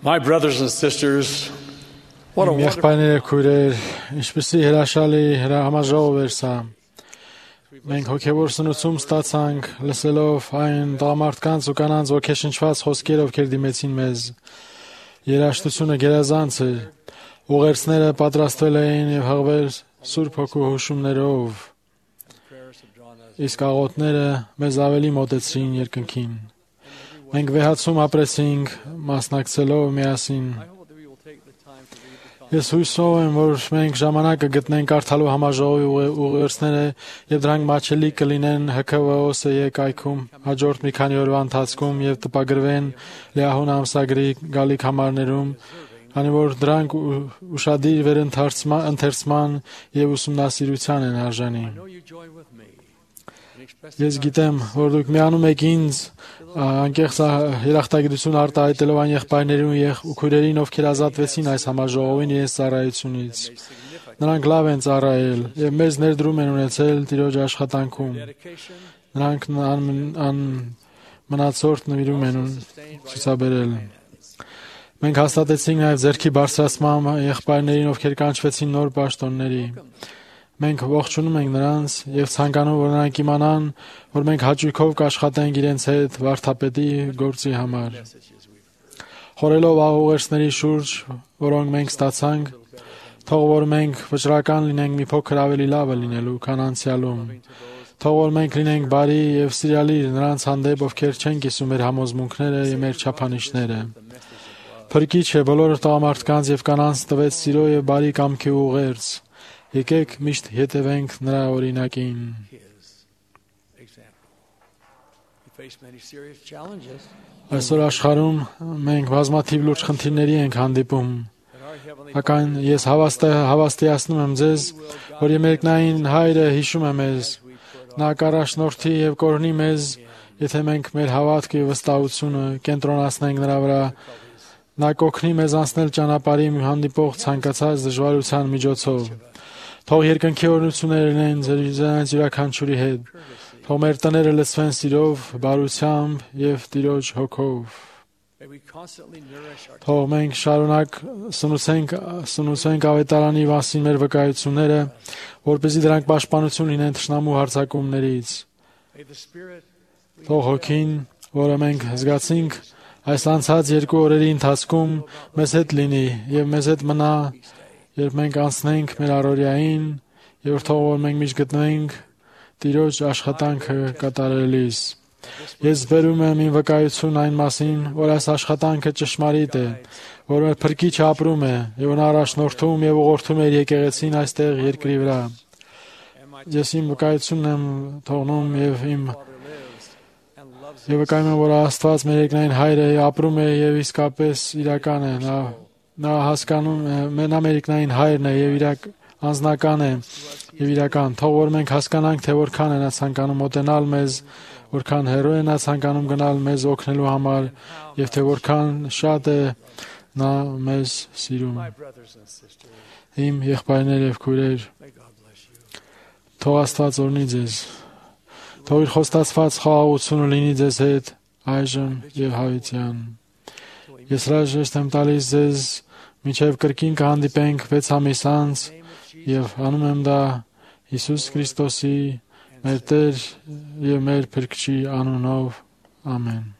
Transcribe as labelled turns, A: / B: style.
A: My brothers and sisters, what a
B: Իմ
A: wonderful
B: եղբայրները քույրեր, ինչպեսի հրաշալի համաժողով էր սա։ Մենք հոգևոր սնուցում ստացանք լսելով այն տղամարդկանց ու կանանց ոգեշնչված խոսքեր, ովքեր դիմեցին մեզ։ Երաժշտությունը գերազանց էր։ Ուղերձները պատրաստվել էին եւ հղվել Սուրբ Հոգու հուշումներով։ Իսկ աղոթները մեզ ավելի մոտեցրին երկնքին։ Մենք վեհացում ապրեցինք, մասնակցելով միասին։ Ես հույսով եմ, որ մենք ժամանակը գտնենք կարդալու համաժողովի ուղերձները եւ դրանք մատչելի կլինեն ՀՔՎՕՍ-ի կայքում հաջորդ մի քանի օրվա ընթացքում եւ տպագրվեն Լեահուն ամսագրի գալիք համարներում, քանի որ դրանք ուշադիր վերընթերցման եւ ուսումնասիրության են արժանի։ Ես գիտեմ, որ դուք միանում եք ինձ անկեղծ երախտագիտություն արտահայտելով այն եղբայրներին ու քույրերին, ովքեր ազատվեցին այս համաժողովին իրենց ծառայությունից։ Նրանք լավ են ծառայել եւ մեծ ներդրում են ունեցել Տիրոջ աշխատանքում։ Նրանք մնացորդ նվիրում են ցուցաբերել։ Մենք հաստատեցինք նաեւ ձեռքի բարձրացման եղբայրներին, ովքեր կանչվեցին նոր պաշտոնների։ Մենք ողջունում ենք նրանց եւ ցանկանում, որ նրանք իմանան, որ մենք հաճույքով կաշխատենք իրենց հետ վարդապետի գործի համար։ Խորելով աղուղերձների շուրջ, որոնք մենք ստացանք, թող որ մենք վճռական լինենք մի փոքր ավելի լավը լինելու, քան անցյալում։ Թող որ մենք լինենք բարի եւ սիրալիր նրանց հանդեպ, ովքեր չեն կիսում մեր համոզմունքները եւ մեր չափանիշները։ Փրկիչ է բոլոր տղամարդկանց եւ կանանց տվեց սիրո եւ բարի կամքի ուղերձ։ Եկեք միշտ հետևենք նրա օրինակին։ Այսօր աշխարհում մենք բազմաթիվ լուրջ խնդիրների ենք հանդիպում։ Սակայն ես հավաստիացնում եմ ձեզ, որ Երկնային Հայրը հիշում է մեզ։ Նա կառաջնորդի եւ կօրհնի մեզ, եթե մենք մեր հավատքը եւ վստահությունը կենտրոնացնենք նրա վրա։ Նա կօգնի մեզ անցնել ճանապարհին հանդիպող ցանկացած դժվարության միջոցով։ Թող երկնքի օրհնությունները լինեն ձեզ յուրաքանչյուրի հետ։ Թող մեր տները լցվեն սիրով, բարությամբ եւ Տիրոջ հոգով։ Թող մենք շարունակ սնուցենք ավետարանի մասին մեր վկայությունները, որպեսզի դրանք պաշտպանություն լինեն թշնամու հարձակումներից։ Թող հոգին, որը մենք զգացինք այս անցած 2 օրերի ընթացքում, մեզ հետ լինի եւ մեզ հետ մնա, երբ մենք անցնենք մեր առօրյային, եւ թող որ մենք միշտ գտնենք Տիրոջ աշխատանքը կատարելիս։ Ես բերում եմ իմ վկայություն այն մասին, որ այս աշխատանքը ճշմարիտ է, որ մեր Փրկիչը ապրում է եւ նա առաջնորդում եւ ուղղորդում է եկեղեցին այստեղ երկրի վրա։ Ես իմ վկայությունն եմ թողնում եւ վկայում եմ, որ Աստված մեր Երկնային Հայրը ապրում է եւ իսկապես իրական է։ Նա հասկանում է, նա մեր Երկնային Հայրն է եւ անձնական է եւ իրական։ Թող որ մենք հասկանանք, թե որքան է նա ցանկանում մոտենալ մեզ, որքան հեռու է նա ցանկանում գնալ մեզ օգնելու համար եւ թե որքան շատ է նա մեզ սիրում։ Իմ եղբայրներ եւ քույրեր, թող Աստված օրհնի ձեզ։ Թող իր խոստացված խաղաղությունը լինի ձեզ հետ այժմ եւ հավիտյան։ Ես հրաժեշտ եմ տալիս ձեզ մինչև կրկին կհանդիպենք 6 ամիս անց եւ անում եմ դա Հիսուս Քրիստոսի մեր Տեր եւ մեր Փրկչի անունով։ Ամեն։